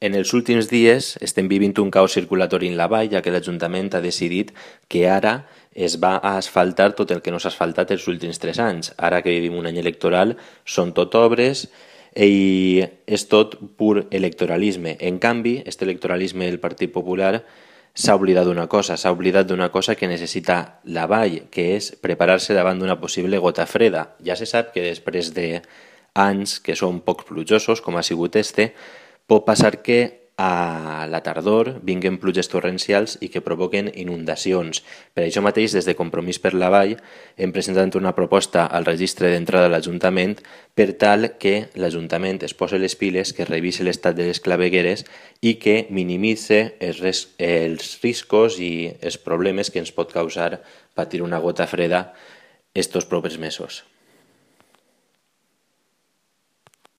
En els últims dies estem vivint un caos circulatori en la vall, ja que l'Ajuntament ha decidit que ara es va a asfaltar tot el que no s'ha asfaltat els últims 3 anys. Ara que vivim un any electoral, són tot obres i és tot pur electoralisme. En canvi, este electoralisme del Partit Popular s'ha oblidat d'una cosa que necessita la vall, que és preparar-se davant d'una possible gota freda. Ja se sap que després d'anys que són poc plujosos, com ha sigut pot passar que a la tardor vinguen pluges torrencials i que provoquen inundacions. Per això mateix, des de Compromís per la Vall, hem presentat una proposta al registre d'entrada de l'Ajuntament per tal que l'Ajuntament es posi les piles, que revisi l'estat de les clavegueres i que minimitzi els riscos i els problemes que ens pot causar patir una gota freda estos propers mesos.